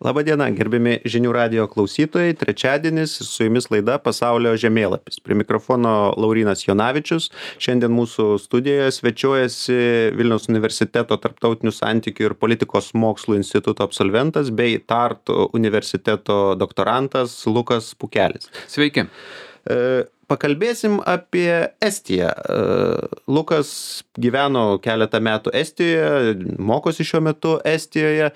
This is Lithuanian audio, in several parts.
Labadiena, gerbiami žinių radijo klausytojai. Trečiadienis su jumis laida Pasaulio žemėlapis. Prie mikrofono Laurynas Jonavičius. Šiandien mūsų studijoje svečiuojasi Vilniaus universiteto tarptautinių santykių ir politikos mokslų instituto absolventas bei Tartu universiteto doktorantas Lukas Pukelis. Sveiki. Pakalbėsim apie Estiją. Lukas gyveno keletą metų Estijoje, mokosi šiuo metu Estijoje.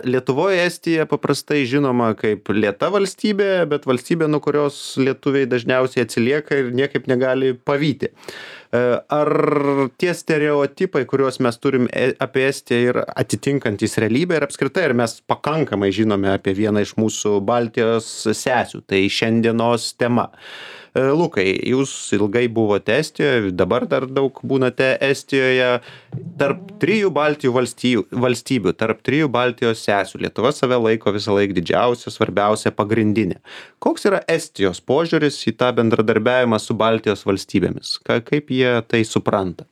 Lietuvoje Estija paprastai žinoma kaip lėta valstybė, bet valstybė, nuo kurios lietuviai dažniausiai atsilieka ir niekaip negali pavyti. Ar tie stereotipai, kuriuos mes turim apie Estiją, yra atitinkantys realybę ir apskritai, ar mes pakankamai žinome apie vieną iš mūsų Baltijos sesių, tai šiandienos tema. Lukai, jūs ilgai buvote Estijoje, dabar dar daug būnate Estijoje. Tarp trijų Baltijos valstybių, tarp trijų Baltijos sesių, Lietuva save laiko visą laiką didžiausia, svarbiausia, pagrindinė. Koks yra Estijos požiūris į tą bendradarbiavimą su Baltijos valstybėmis? Kaip jie tai supranta?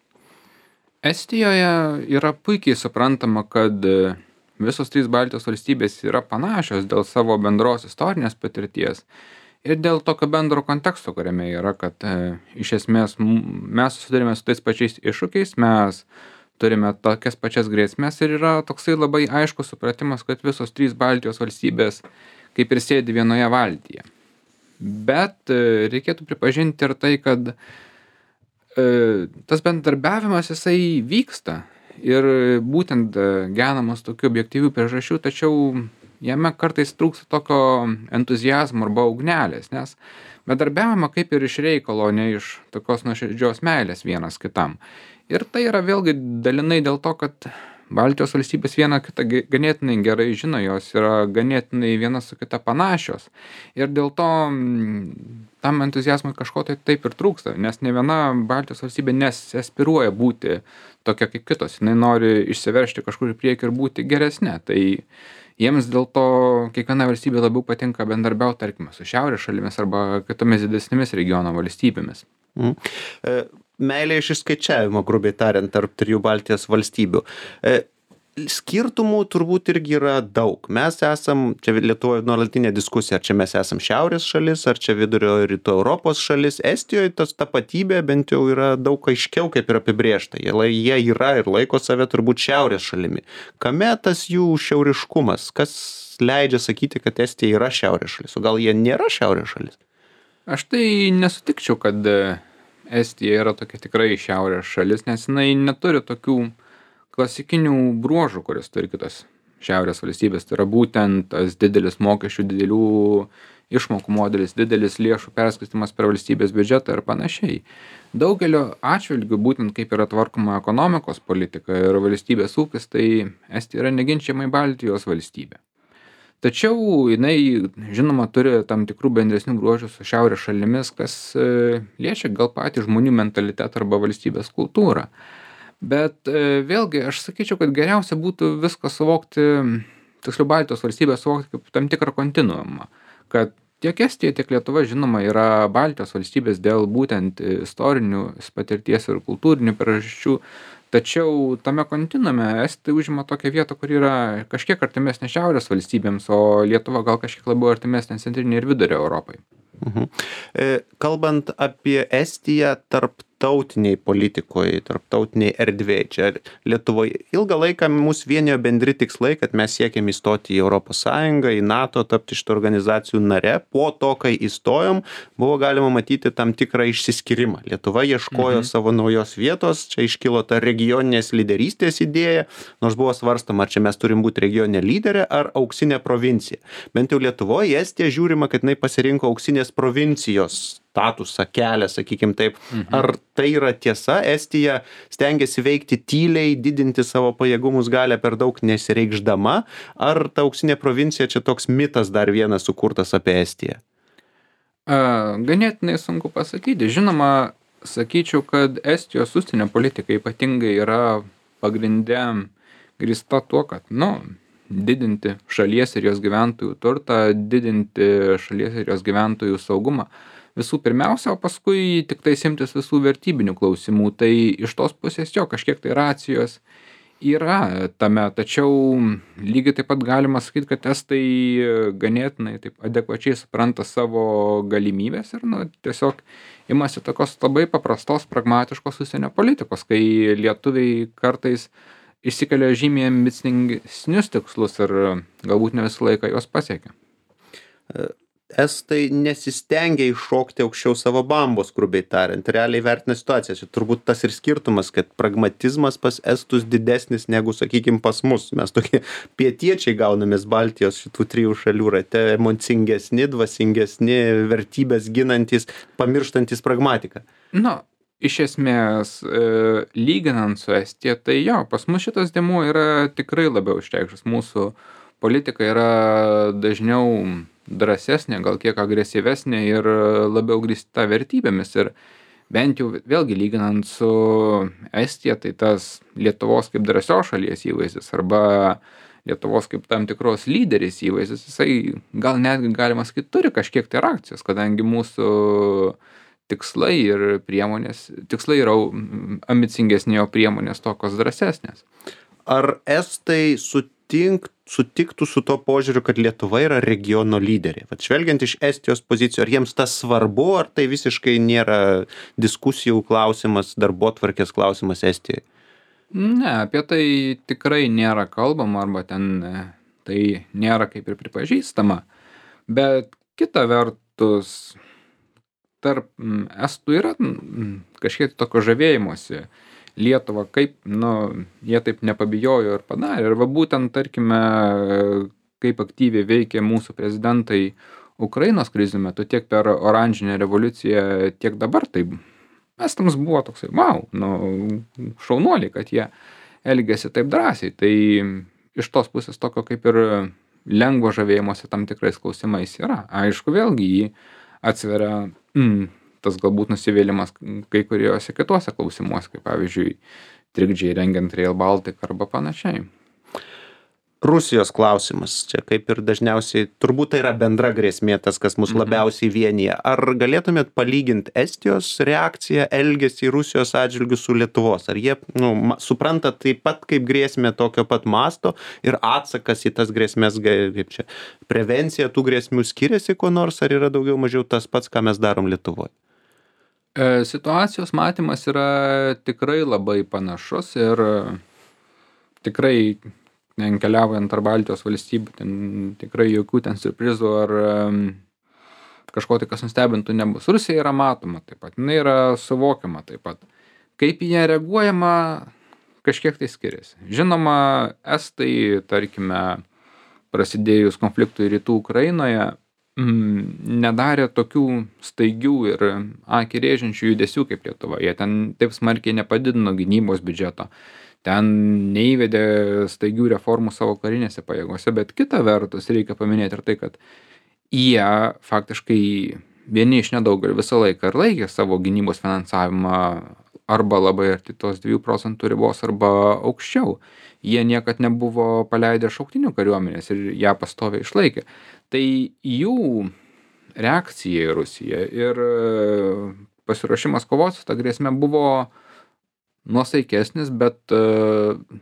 Estijoje yra puikiai suprantama, kad visos trys Baltijos valstybės yra panašios dėl savo bendros istorinės patirties ir dėl tokio bendro konteksto, kuriame yra, kad iš esmės mes susidurime su tais pačiais iššūkiais, mes turime tokias pačias grėsmės ir yra toksai labai aiškus supratimas, kad visos trys Baltijos valstybės kaip ir sėdi vienoje valtyje. Bet reikėtų pripažinti ir tai, kad tas bendradarbiavimas jisai vyksta ir būtent genamas tokių objektyvių priežasčių, tačiau jame kartais trūksta tokio entuziazmo arba ugnelės, nes bendradarbiavimą kaip ir iš reikalo, ne iš tokios nuoširdžios meilės vienas kitam. Ir tai yra vėlgi dalinai dėl to, kad Baltijos valstybės viena kitą ganėtinai gerai žino, jos yra ganėtinai viena su kita panašios. Ir dėl to tam entuziazmui kažko tai taip ir trūksta, nes ne viena Baltijos valstybė nesiaspiruoja būti tokia kaip kitos. Jinai nori išsiveržti kažkur į priekį ir būti geresnė. Tai jiems dėl to kiekviena valstybė labiau patinka bendarbiauti, tarkime, su šiaurės šalimis arba kitomis didesnėmis regiono valstybėmis. Meilė iš išskaičiavimo, grubiai tariant, tarp trijų Baltijos valstybių. Skirtumų turbūt irgi yra daug. Mes esam, čia Lietuvoje nuolatinė diskusija, ar čia mes esam šiaurės šalis, ar čia vidurio rytų Europos šalis. Estijoje tas tapatybė bent jau yra daug aiškiau kaip ir apibrėžta. Jie yra ir laiko save turbūt šiaurės šalimi. Kame tas jų šiauriškumas? Kas leidžia sakyti, kad Estija yra šiaurės šalis? O gal jie nėra šiaurės šalis? Aš tai nesutikčiau, kad Estija yra tokia tikrai šiaurės šalis, nes jinai neturi tokių klasikinių bruožų, kuris turi kitos šiaurės valstybės. Tai yra būtent tas didelis mokesčių, didelių išmokų modelis, didelis lėšų perskirstymas per valstybės biudžetą ir panašiai. Daugelio atžvilgių, būtent kaip yra tvarkoma ekonomikos politika ir valstybės ūkis, tai Estija yra neginčiamai Baltijos valstybė. Tačiau jinai, žinoma, turi tam tikrų bendresnių bruožų su šiaurės šalimis, kas liečia gal patį žmonių mentalitetą arba valstybės kultūrą. Bet vėlgi, aš sakyčiau, kad geriausia būtų viską suvokti, tiksliau Baltijos valstybę suvokti kaip tam tikrą kontinuumą, kad tiek Estija, tiek Lietuva, žinoma, yra Baltijos valstybės dėl būtent istorinių patirties ir kultūrinių priežasčių, tačiau tame kontinuume Estija užima tokią vietą, kur yra kažkiek artimesnė šiaurės valstybėms, o Lietuva gal kažkiek labiau artimesnė centrinė ir vidurio Europai. Kalbant apie Estiją tarptautiniai politikoje, tarptautiniai erdvėje, čia Lietuvoje ilgą laiką mus vienijo bendri tikslai, kad mes siekiam įstoti į Europos Sąjungą, į NATO, tapti šitų organizacijų nare. Po to, kai įstojom, buvo galima matyti tam tikrą išsiskyrimą. Lietuva ieškojo savo naujos vietos, čia iškilo ta regioninės lyderystės idėja, nors buvo svarstama, ar čia mes turim būti regioninė lyderė ar auksinė provincija. Bent jau Lietuvoje Estija žiūrima, kad jinai pasirinko auksinės provincijos statusą, kelią, sakykim taip. Ar tai yra tiesa? Estija stengiasi veikti tyliai, didinti savo pajėgumus galią per daug nesireikšdama? Ar ta auksinė provincija čia toks mitas dar vienas sukurtas apie Estiją? Ganėtinai sunku pasakyti. Žinoma, sakyčiau, kad Estijos užsienio politika ypatingai yra pagrinde grįsta tuo, kad, didinti šalies ir jos gyventojų turtą, didinti šalies ir jos gyventojų saugumą. Visų pirmiausia, o paskui tik tai imtis visų vertybinių klausimų. Tai iš tos pusės kažkiek tai racijos Yra tame, tačiau lygiai taip pat galima sakyt, kad estai ganėtinai taip adekvačiai supranta savo galimybes ir, nu, tiesiog imasi tokios labai paprastos, pragmatiškos užsienio politikos, kai lietuviai kartais išsikelia žymiai ambicingesnius tikslus ir galbūt ne visą laiką juos pasiekia. Estai nesistengia iššokti aukščiau savo bambos, grubiai tariant, realiai vertina situaciją. Čia turbūt tas ir skirtumas, kad pragmatizmas pas estus didesnis negu, sakykime, pas mus. Mes tokie pietiečiai gaunamės Baltijos šitų 3 šalių rate, emocingesni, dvasingesni, vertybės ginantis, pamirštantis pragmatiką. Na, iš esmės, lyginant su Estija, tai jo, pas mus šitas dėmuo yra tikrai labiau išreikštas. Mūsų politika yra dažniau drąsesnė, gal kiek agresyvesnė ir labiau grįsta vertybėmis. Ir bent jau vėlgi lyginant su Estija, tai tas Lietuvos kaip drąsios šalies įvaizdis arba Lietuvos kaip tam tikros lyderis įvaizdis, jisai gal netgi galima sakyti turi kažkiek tai reakcijos, kadangi mūsų tikslai ir priemonės, tikslai yra ambicingesnė, o priemonės tokios drąsesnės. Ar estai sutiktų su to požiūriu, kad Lietuva yra regiono lyderė? Vat žvelgiant iš Estijos pozicijų, ar jiems tas svarbu, ar tai visiškai nėra diskusijų klausimas, darbotvarkės klausimas Estijoje? Ne, apie tai tikrai nėra kalbama, arba ten tai nėra kaip ir pripažįstama. Bet kita vertus, tarp estų yra kažkiek tokio žavėjimosi Lietuva, kaip, nu, jie taip nepabijojo ir padarė. Ir va būtent, tarkime, kaip aktyviai veikė mūsų prezidentai Ukrainos krizių metu, tiek per oranžinę revoliuciją, tiek dabar, tai estams buvo toksai, wow, nu, šaunuoliai, kad jie elgėsi taip drąsiai. Tai iš tos pusės tokio kaip ir lengvo žavėjimuose tam tikrais klausimais yra. Aišku, vėlgi jį atsveria tas galbūt nusivylimas kai kuriuose kituose klausimuose, kaip pavyzdžiui, trikdžiai rengiant Rail Baltica arba panašiai. Rusijos klausimas. Čia kaip ir dažniausiai, turbūt tai yra bendra grėsmė, tas, kas mus labiausiai vienyje. Ar galėtumėt palyginti Estijos reakciją, elgesį Rusijos atžvilgių su Lietuvos? Ar jie supranta taip pat kaip grėsmė tokio pat masto ir atsakas į tas grėsmės, kaip čia, prevencija tų grėsmių skiriasi kuo nors, ar yra daugiau mažiau tas pats, ką mes darom Lietuvoje? Situacijos matymas yra tikrai labai panašus ir tikrai keliaujant tarp Baltijos valstybių, ten tikrai jokių ten siurprizų ar kažko tai, kas nustebintų, nebus. Rusija yra matoma taip pat, jinai yra suvokiama taip pat. Kaip į ją reaguojama, kažkiek tai skiriasi. Žinoma, estai, tarkime, prasidėjus konfliktui rytų Ukrainoje, nedarė tokių staigių ir akį rėžiančių judesių kaip Lietuva. Jie ten taip smarkiai nepadidino gynybos biudžeto. Ten neįvedė staigių reformų savo karinėse pajėgose, bet kita vertus reikia paminėti ir tai, kad jie faktiškai vieni iš nedaugelio visą laiką ir laikė savo gynybos finansavimą arba labai arti tos 2% ribos arba aukščiau. Jie niekad nebuvo paleidę šauktinių kariuomenės ir ją pastoviai išlaikė. Tai jų reakcija į Rusiją ir pasiruošimas kovoti su ta grėsme buvo nuosaikesnis, bet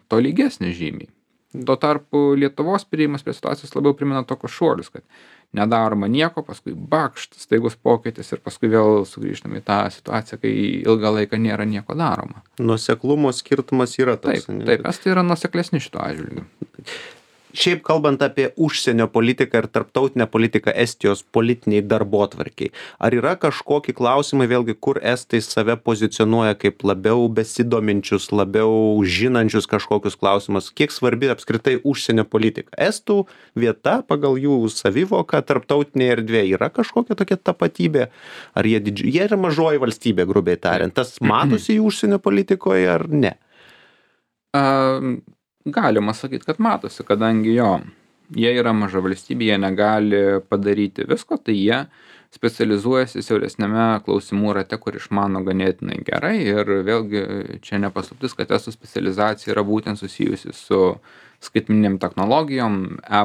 tolygesnis žymiai. Tuo tarpu Lietuvos priėjimas prie situacijos labiau primena tokius šuolius, kad nedaroma nieko, paskui bakšt, staigus pokytis ir paskui vėl sugrįžtame į tą situaciją, kai ilgą laiką nėra nieko daroma. Nuoseklumo skirtumas yra toks. Taip, estai yra nuoseklesni šituo atžvilgiu. Šiaip kalbant apie užsienio politiką ir tarptautinę politiką Estijos politiniai darbotvarkiai, ar yra kažkokie klausimai, vėlgi, kur estai save pozicionuoja kaip labiau besidominčius, labiau žinančius kažkokius klausimus? Kiek svarbi apskritai užsienio politika? Estų vieta pagal jų savivoką tarptautinėje erdvėje yra kažkokia tokia tapatybė? Ar jie yra mažoji valstybė, grubiai tariant? Tas matosi jų užsienio politikoje ar ne? Galima sakyti, kad matosi, kadangi jie yra maža valstybė, jie negali padaryti visko, tai jie specializuojasi siauresnėme klausimų rate, kur išmano ganėtinai gerai ir vėlgi čia nepaslaptis, kad estų specializacija yra būtent susijusi su skaitmeninėm technologijom,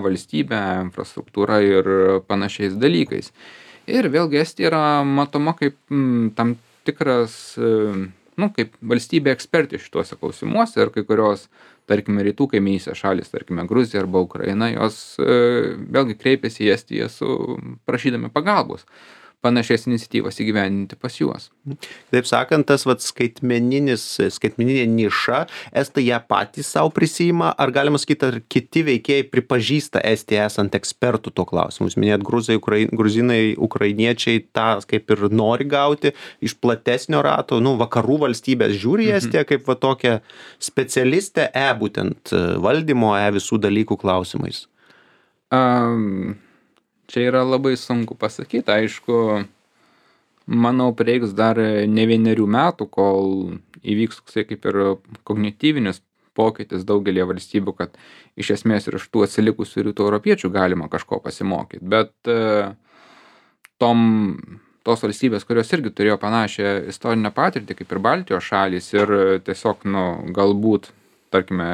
valstybė, infrastruktūra ir panašiais dalykais. Ir vėlgi Estija yra matoma kaip tam tikras, kaip valstybė ekspertė šituose klausimuose ir kai kurios tarkime, rytų kaimynystės šalys, tarkime, Gruzija arba Ukraina, jos vėlgi kreipiasi į Estiją prašydami pagalbos panašias iniciatyvas įgyvendinti pas juos. Taip sakant, tas skaitmeninė niša, estai ją patys savo prisima, ar galima sakyti, ar kiti veikėjai pripažįsta Estiją esant ekspertų tuo klausimu? Jūs minėjot, gruzinai, ukrainiečiai tą kaip ir nori gauti iš platesnio rato, vakarų valstybės žiūri Estiją kaip va tokią specialistę būtent valdymo, visų dalykų klausimais. Čia yra labai sunku pasakyti, aišku, manau, prireiks dar ne 1 metų, kol įvyks kaip ir kognityvinis pokytis daugelį valstybių, kad iš esmės ir iš tų atsilikusių rytų europiečių galima kažko pasimokyti, bet tos valstybės, kurios irgi turėjo panašią istorinę patirtį kaip ir Baltijos šalys ir tiesiog, galbūt, tarkime,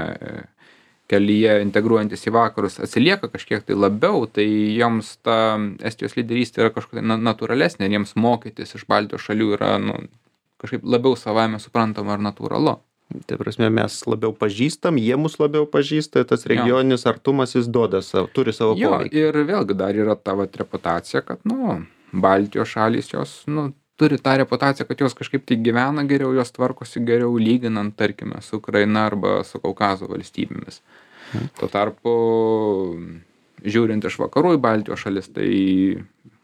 kelyje integruojantis į vakarus atsilieka kažkiek tai labiau, tai joms ta Estijos lyderystė yra kažkokia natūralesnė, jiems mokytis iš Baltijos šalių yra kažkaip labiau savaime suprantama ir natūralu. Tai prasme, mes labiau pažįstam, jie mus labiau pažįsta, tas regioninis artumas jis turi savo poveikį. Ir vėlgi dar yra ta reputacija, kad Baltijos šalys jos turi tą reputaciją, kad jos kažkaip tai gyvena geriau, jos tvarkosi geriau lyginant, tarkime, su Ukraina arba su Kaukazo valstybėmis. Tuo tarpu, žiūrint iš vakarų į Baltijos šalis, tai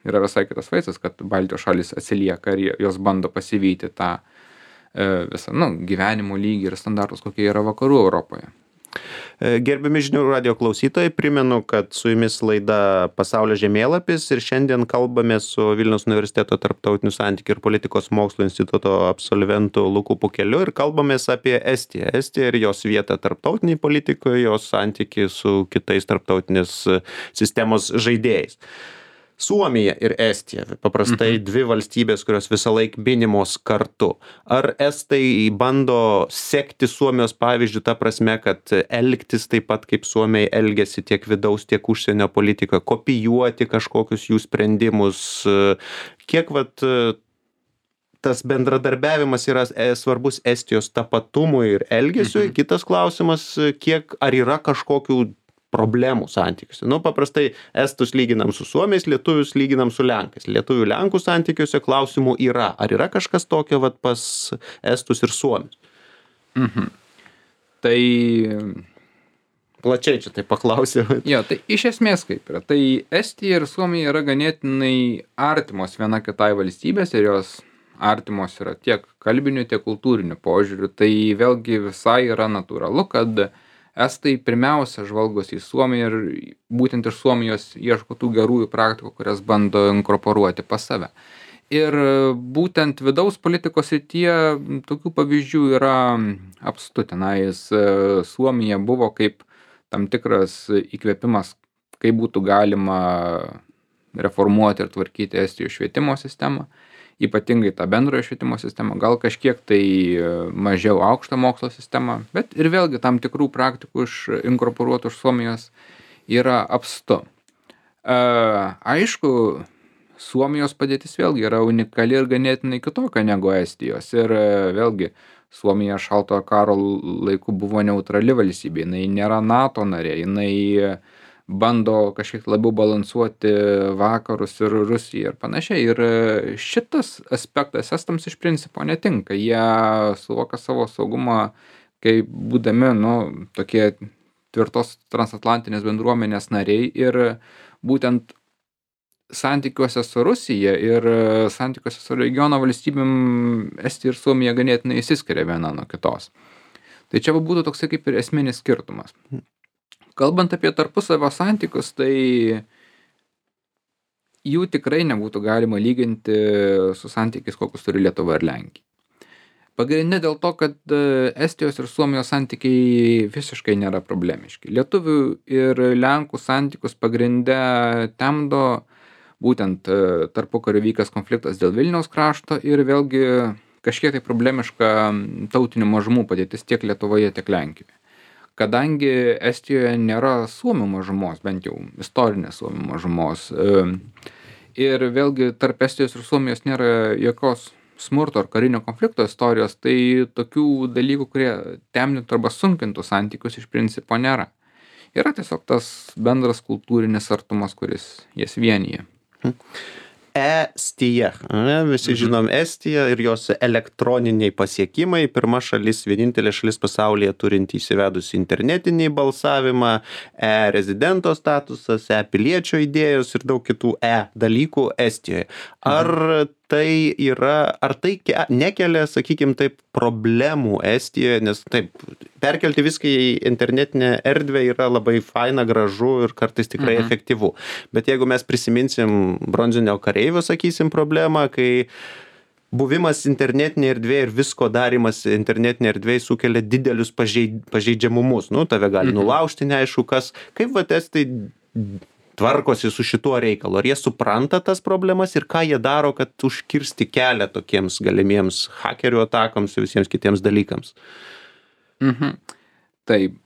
yra visai kitas vaizdas, kad Baltijos šalis atsilieka ir jos bando pasivyti tą visą gyvenimo lygį ir standartus, kokie yra vakarų Europoje. Gerbiami žinių radijo klausytojai, primenu, kad su jumis laida Pasaulio žemėlapis ir šiandien kalbame su Vilniaus universiteto tarptautinių santykių ir politikos mokslų instituto absolventu Luku Pukeliu ir kalbamės apie Estiją. Estiją ir jos vietą tarptautiniai politikoje, jos santykį su kitais tarptautinės sistemos žaidėjais. Suomija ir Estija, paprastai dvi valstybės, kurios visą laiką minimos kartu. Ar estai bando sekti Suomijos pavyzdžių ta prasme, kad elgtis taip pat kaip Suomiai elgiasi tiek vidaus, tiek užsienio politikoje, kopijuoti kažkokius jų sprendimus? Kiek tas bendradarbiavimas yra svarbus Estijos tapatumui ir elgesiui? Kitas klausimas, ar yra kažkokių problemų santykiuose. Paprastai estus lyginam su suomiais, lietuvius lyginam su lenkais. Lietuvių lenkų santykiuose klausimų yra. Ar yra kažkas tokio pas estus ir suomius? Tai plačiai čia tai paklausiu. Jo, tai iš esmės kaip yra. Tai Estija ir Suomija yra ganėtinai artimos viena kitai valstybės ir jos artimos yra tiek kalbiniu, tiek kultūriniu požiūriu. Tai vėlgi visai yra natūralu, kad estai pirmiausia žvalgosi į Suomiją ir būtent iš Suomijos ieško tų gerųjų praktikų, kurias bando inkorporuoti pas save. Ir būtent vidaus politikos srityje tokių pavyzdžių yra apstu. Tenais Suomija buvo kaip tam tikras įkvėpimas, kaip būtų galima reformuoti ir tvarkyti Estijos švietimo sistemą, ypatingai tą bendrojo švietimo sistemą, gal kažkiek tai mažiau aukštą mokslo sistemą, bet ir vėlgi tam tikrų praktikų inkorporuotų iš Suomijos yra apstu. Aišku, Suomijos padėtis vėlgi yra unikali ir ganėtinai kitokia negu Estijos. Ir vėlgi, Suomija šaltojo karo laiku buvo neutrali valstybė, jinai nėra NATO narė, jinai bando kažkiek labiau balansuoti vakarus ir Rusiją ir panašiai. Ir šitas aspektas estams iš principo netinka. Jie suvokia savo saugumą, kaip būdami, tokie tvirtos transatlantinės bendruomenės nariai ir būtent santykiuose su Rusija ir santykiuose su regiono valstybėm Estija ir Suomija ganėtinai išsiskiria viena nuo kitos. Tai čia būtų toksai kaip ir esminis skirtumas. Kalbant apie tarpusavio santykius, tai jų tikrai nebūtų galima lyginti su santykiais, kokius turi Lietuva ir Lenkija. Pagrindinė dėl to, kad Estijos ir Suomijos santykiai visiškai nėra problemiški. Lietuvių ir Lenkų santykius pagrindę temdo būtent tarpukariu vykęs konfliktas dėl Vilniaus krašto ir vėlgi kažkiek tai problemiška tautinių mažumų padėtis tiek Lietuvoje, tiek Lenkijoje. Kadangi Estijoje nėra suomių mažumos, bent jau istorinės suomių mažumos, ir vėlgi tarp Estijos ir Suomijos nėra jokios smurto ar karinio konflikto istorijos, tai tokių dalykų, kurie temdytų arba sunkintų santykius, iš principo nėra. Yra tiesiog tas bendras kultūrinis artumas, kuris jas vienyje. Estija, ane? Visi žinom Estiją ir jos elektroniniai pasiekimai. Pirma šalis, vienintelė šalis pasaulyje turinti įsivedusi internetinį balsavimą, rezidento statusas, piliečio idėjos ir daug kitų dalykų Estijoje. Ar tai nekelia, sakykim taip, problemų Estijoje, nes taip, perkelti viską į internetinę erdvę yra labai faina, gražu ir kartais tikrai efektyvu. Bet jeigu mes prisiminsim bronzinio kareivio, sakysim, problemą, kai buvimas internetinėje erdvėje ir visko darimas internetinėje erdvėje sukelia didelius pažeidžiamumus. Nu, tave gali nulaužti, neaišku kas. Kaip estai tvarkosi su šituo reikalu? Ar jie supranta tas problemas ir ką jie daro, kad užkirsti kelią tokiems galimiems hakerių atakoms ir visiems kitiems dalykams? Taip,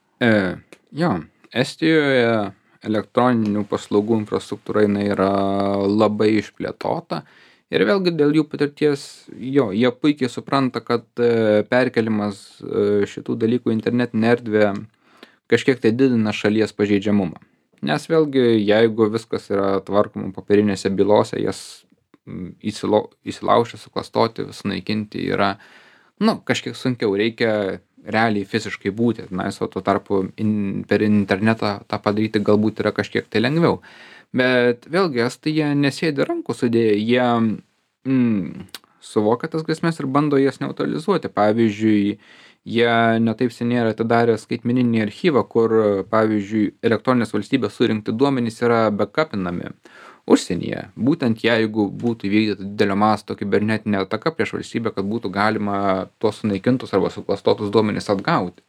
Estijoje elektroninių paslaugų infrastruktūra yra labai išplėtota ir vėlgi dėl jų patirties, jie puikiai supranta, kad perkelimas šitų dalykų į internetinę erdvę kažkiek tai didina šalies pažeidžiamumą. Nes vėlgi, jeigu viskas yra tvarkoma popierinėse bylose, jas įsilaužti, suklastoti, sunaikinti yra, kažkiek sunkiau, reikia realiai fiziškai būti, o tuo tarpu per internetą tą padaryti galbūt yra kažkiek tai lengviau. Bet vėlgi, estai jie nesėdi rankų sudėję, jie suvokia tas grėsmės ir bando jas neutralizuoti. Pavyzdžiui, jie netaip seniai yra atidarę skaitmeninį archyvą, kur, pavyzdžiui, elektroninės valstybės surinkti duomenys yra backupinami užsienyje. Būtent jeigu būtų įvykdyta didelio masto kibernetinė ataka prieš valstybę, kad būtų galima tuos sunaikintus arba suklastotus duomenys atgauti.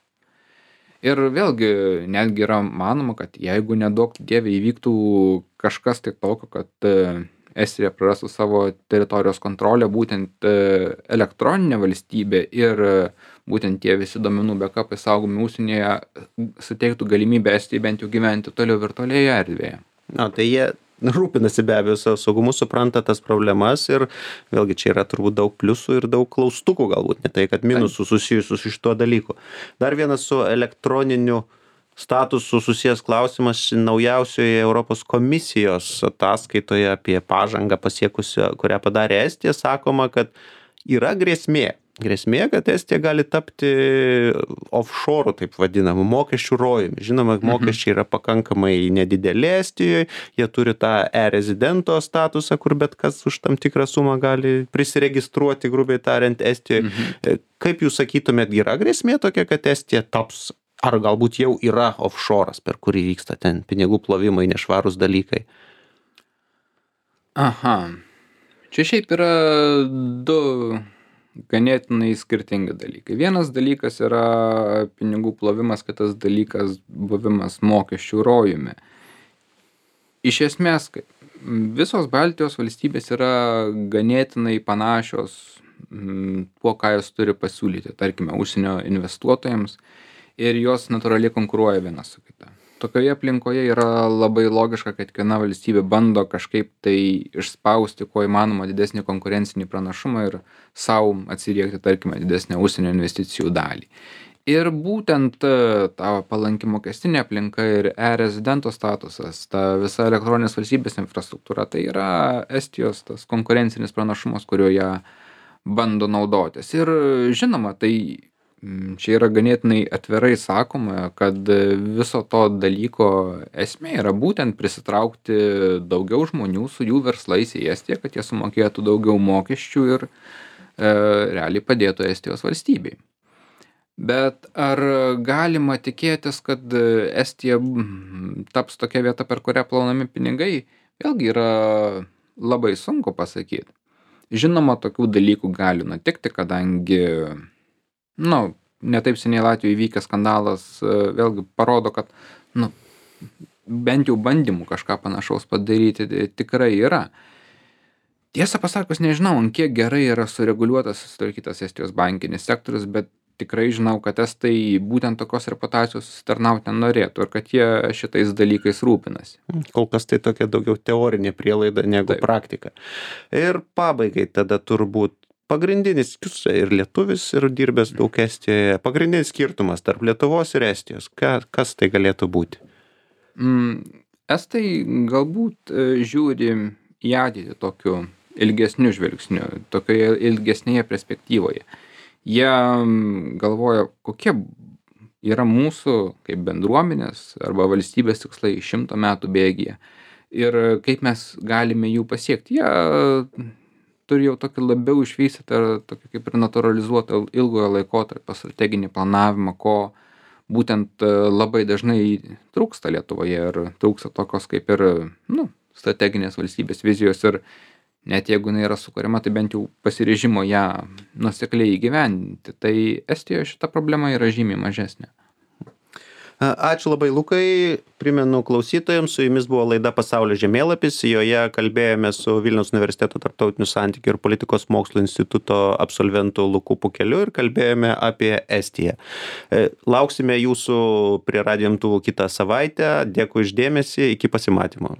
Ir vėlgi, netgi yra manoma, kad jeigu neduok dievė įvyktų kažkas tai tokio, kad Estija prarastų savo teritorijos kontrolę, būtent elektroninė valstybė ir būtent tie visi duomenų backupai saugomi užsienyje suteiktų galimybę Estijai bent jau gyventi toliau virtualioje erdvėje. Tai jie rūpinasi be abejo savo saugumu, supranta tas problemas ir vėlgi čia yra turbūt daug pliusų ir daug klaustukų, galbūt ne tai, kad minusų susijusių su šituo dalyku. Dar vienas su elektroniniu statusu susijęs klausimas naujausioje Europos komisijos ataskaitoje apie pažangą pasiekusią, kurią padarė Estija, sakoma, kad yra grėsmė, kad Estija gali tapti offshore, taip vadinamu, mokesčių rojumi. Žinoma, mokesčiai yra pakankamai nedideli Estijoje, jie turi tą rezidento statusą, kur bet kas už tam tikrą sumą gali prisiregistruoti, grubiai tariant, Estijoje. Kaip jūs sakytumėt, yra grėsmė tokia, kad Estija taps, ar galbūt jau yra offshore'as, per kurį vyksta ten pinigų plovimai, nešvarūs dalykai? Čia šiaip yra du ganėtinai skirtingi dalykai. Vienas dalykas yra pinigų plovimas, kitas dalykas buvimas mokesčių rojumi. Iš esmės, visos Baltijos valstybės yra ganėtinai panašios tuo, ką jos turi pasiūlyti, tarkime, užsienio investuotojams, ir jos natūraliai konkuruoja viena su kita. Tokioje aplinkoje yra labai logiška, kad kiekviena valstybė bando kažkaip tai išspausti kuo įmanoma didesnį konkurencinį pranašumą ir savo atsiriekti, tarkime, didesnę užsienio investicijų dalį. Ir būtent ta palanki mokestinė aplinka ir rezidento statusas, ta visa elektroninės valstybės infrastruktūra, tai yra Estijos tas konkurencinis pranašumas, kuriuo jie bando naudotis. Ir žinoma, tai čia yra ganėtinai atvirai sakoma, kad viso to dalyko esmė yra būtent prisitraukti daugiau žmonių su jų verslais į Estiją, kad jie sumokėtų daugiau mokesčių ir realiai padėtų Estijos valstybei. Bet ar galima tikėtis, kad Estija taps tokia vieta, per kurią plaunami pinigai? Vėlgi yra labai sunku pasakyti. Žinoma, tokių dalykų gali nutikti, kadangi netaip seniai Latvijoje įvykęs skandalas vėlgi parodo, kad bent jau bandymų kažką panašaus padaryti tikrai yra. Tiesą pasakius, nežinau, kiek gerai yra sureguliuotas, sutvarkytas Estijos bankinis sektorius, bet tikrai žinau, kad estai būtent tokios reputacijos susitarnauti nenorėtų ir kad jie šitais dalykais rūpinasi. Kol kas tai tokia daugiau teorinė prielaida negu praktika. Ir pabaigai tada turbūt pagrindinis, jūs ir lietuvis, ir dirbęs daug Estijoje, pagrindinis skirtumas tarp Lietuvos ir Estijos, kas tai galėtų būti? Estai galbūt žiūri į ateitį tokiu ilgesniu žvilgsniu, tokioje ilgesnėje perspektyvoje. Jie galvoja, kokie yra mūsų kaip bendruomenės arba valstybės tikslai 100 metų bėgyje ir kaip mes galime jų pasiekti. Jie turi jau tokį labiau išvystytą, tokį kaip ir naturalizuotą ilgojo laikotarpio strateginį planavimą, ko būtent labai dažnai trūksta Lietuvoje ir trūksta tokios kaip ir strateginės valstybės vizijos ir net jeigu jinai yra sukuriama, tai bent jau pasiryžimo ją nuosekliai įgyvendinti. Tai Estijoje šita problema yra žymiai mažesnė. Ačiū labai, Lukai. Primenu klausytojams, su jumis buvo laida Pasaulio žemėlapis. Joje kalbėjome su Vilniaus universiteto tarptautinių santykių ir politikos mokslų instituto absolventu Luku Pukeliu ir kalbėjome apie Estiją. Lauksime jūsų prie radijo imtuvų kitą savaitę. Dėkui už dėmesį. Iki pasimatymo.